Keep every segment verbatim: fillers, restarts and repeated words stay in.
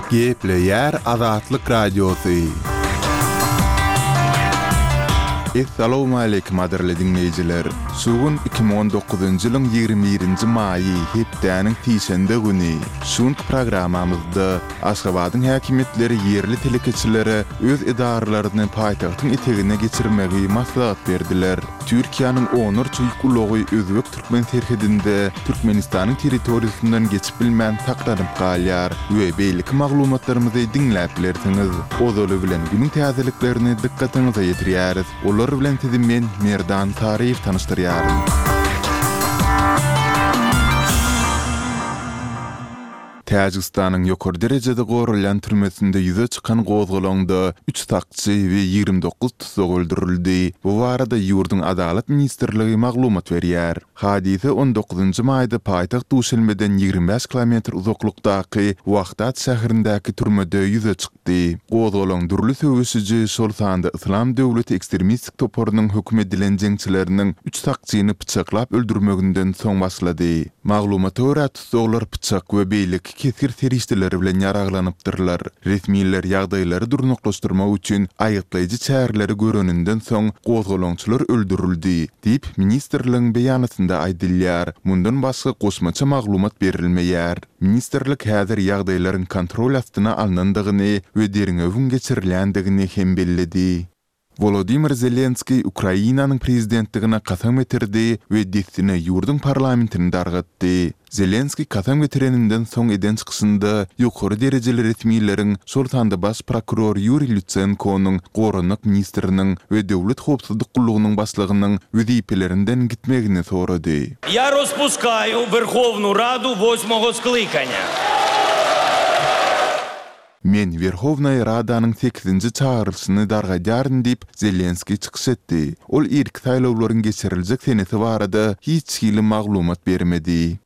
Gepleýär Azatlyk Radiosy. Essalawmaleýkim gadyrly diňleýjiler! Şu gün iki müň on dokuzynjy ýylyň ýigrimi birinji maýy, hepdäniň sişenbe güni. Şu günki programmamyzda Aşgabadyň häkimiýetleri ýerli telekeçilere öz edaralaryny paýtagtyň etegine geçirmegi maslahat berdiler. Türkiýäniň onlarça ýük ulagy özbek-türkmen serhedinde Türkmenistanyň territoriýasyndan geçip bilmän saklanyp galýar we beýleki maglumatlarymyzy diňläp bilersiňiz. Ozaly bilen günüň täzeliklerini dykgatyňyza ýetirýäris. Olar bilen sizi men, Merdan Saryýew tanyşdyrýaryn. Täjigistanyň ýokary derejede goralýan türmesinde ýüze çykan gozgalaňda üç sakçy we ýigrimi dokuz tussag öldürildi. Bu barada ýurduň Adalat ministrligi maglumat berýär. Hadysa on dokuzynjy maýda paýtagt Duşenbeden ýigrimi bäş kilometr uzaklykdaky Wahdat şäherindäki türmede ýüze çykdy. Gozgalaň dürli söweşiji, şol sanda Yslam döwleti ekstremistik toparynyň höküm edilen jeňçileriniň üç sakçyny pyçaklap öldürmeginden soň başlady. Maglumata görä, Tussaglar pyçak we beýleki kesgir serişdeleri bilen ýaraglanypdyrlar. Resmiler ýagdaýlary durnuklaşdyrmak üçin aýgytlaýjy çäreleri göreninden soň, gozgalaňçylar öldürildi, diýip, ministrligiň beýanatynda aýdylýar. Mundan başga goşmaça maglumat berilmeýär. Ministrlik häzir ýagdaýlaryň kontrol astyna alnandygyny we derňewiň geçirilýändigini hem belledi. Wolodymyr Zelenskiý Ukrainanyň prezidentligine kasam getirdi we dessine ýurduň parlamentini dargatdy. Zelenskiý kasam getireninden soň eden çykyşynda ýokary derejeli resmileriň, şol sanda baş prokuror Ýuriý Lutsenkonyň, goranmak ministriniň we Döwlet howpsuzlyk gullugynyň başlygynyň wezipelerinden gitmegini sorady. Ýa rozpuskaýu Werhownu Radu wosmogo sklykaniýa. Men Werhownaýa Radanyň sekizinji çagyrylyşyny dargadýaryn diýip, Zelenskiý çykyş etdi. Ol irki saýlawlaryň geçiriljek senesi barada hiç hili maglumat bermedi.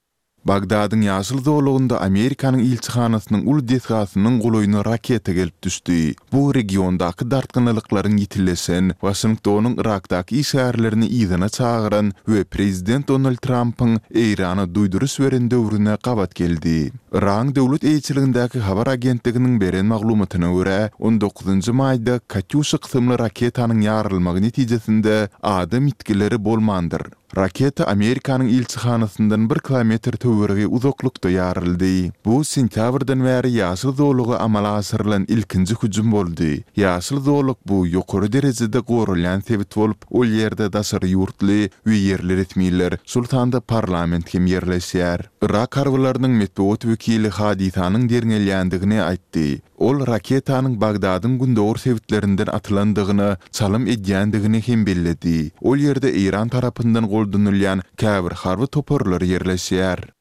Bagdadyň ýaşyl zolagynda Amerikanyň ilçihanasynyň uly desgasynyň golaýyna raketa gelip düşdi. Bu regiondaky dartgynlylyklaryň ýitileşen, Waşingtonyň Yrakdaky işgärlerini yzyna çagyran we prezident Donald Trampyň Eýrana duýduryş beren döwrüne gabat geldi. Yragyň döwlet eýeçiligindäki habar agentliginiň beren maglumatyna görä, on dokuzynjy maýda Katýuşa kysymly raketanyň ýarylmagy netijesinde adam ýitgileri bolmandyr. Raketa Amerikanyň ilçihanasyndan bir kilometr töweregi uzaklykda ýaryldy. Bu sentýabrdan bäri ýaşyl zolaga amala aşyrylan ilkinji hüjüm boldy. Ýaşyl zolak bu ýokary derejede goralýan sebit bolup, ol ýerde daşary ýurtly we ýerli resmiler, şol sanda parlament hem ýerleşýär. Yrak harbylarynyň metbugat wekili hadysanyň derňelýändigini aýtdy. Ol raketanyň Bagdadyň gündogar sebitlerinden atylandygyna çalym edýändigini hem belledi. Ol ýerde Eýran tarapyndan goldanylýan käbir harby toparlar ýerleşýär.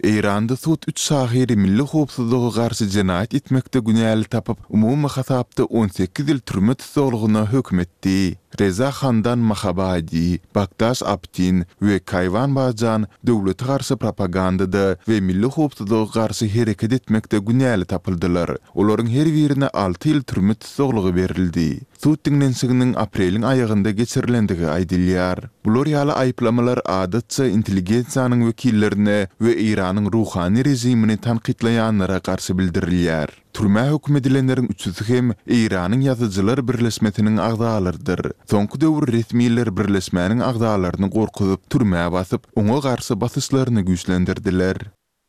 Eýranda sud üç şahyry milli howpsuzlyga garşy jenaýat etmekde günäli tapyp, umumy hasapda on sekiz ýyl türme tussaglygyna höküm etdi. Reza Handan Mahabadi, Bakdaş Abtin we Kaýwan Bajan döwlete garşy propagandada we milli howpsuzlyga garşy hereket etmekde günäli tapyldylar. Olaryň her birine alty ýyl türme tussaglygy berildi. Sud diňlenişiginiň apreliň aýagynda geçirilendigi aýdylýar. Bular ýaly aýyplamalar adatça intelligensiýanyň wekillerine we Eýranyň ruhany režimini tankytlaýanlara garşy bildirilýär. Türmä höküm edilenleriň üçüsi hem Eýranyň Ýazyjylar birleşmesiniň agzalarydyr. Soňky döwür resmiler birleşmäniň agzalaryny gorkuzyp, türmä basyp, oňa garşy basyşlaryny güýçlendirdiler.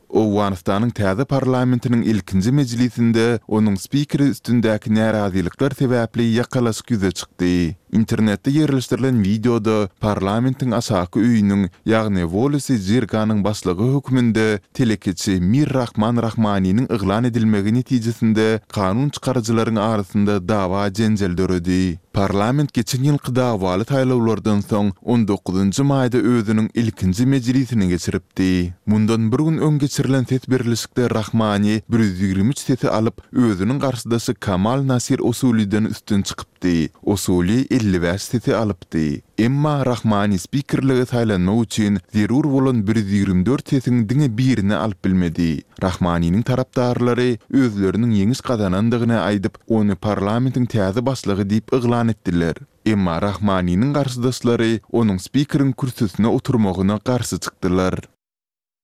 Owganystanyň täze parlamentiniň ilkinji mejlisinde onuň spikeri üstündäki närazylyklar sebäpli ýakalaşyk ýüze çykdy. Internetde ýerleşdirilen wideoda parlamentiň aşaky öýüniň, ýagny Wolesi Jirganyň başlygy hökmünde telekeçi Mir Rahman Rahmaniniň yglan edilmegi netijesinde kanun çykaryjylaryň arasynda dawa-jenjel döredi. Parlament geçen ýylky dawaly saýlawlardan soň on dokuzynjy maýda özüniň ilkinji mejlisini geçiripdi. Mundan bir gün öň geçirilen ses berlişikde Rahmani bir ýüz ýigrimi üç sesi alyp, özüniň garşydaşy Kamal Nasir Osuliden üstün çykypdy. Osuli elli bäş sesi alypdy. Emma Rahmani spikerlige saýlanmak üçin zerur bolan bir ýüz ýigrimi dört sesiň diňe birini alyp bilmedi. Rahmaniniň tarapdarlary özleriniň ýeňiş gazanandygyny aýdyp, ony parlamentiň täze başlygy diýip yglan etdiler. Emma Rahmaniniň garşydaşlary onuň spikeriň kürsüsine oturmagyna garşy çykdylar.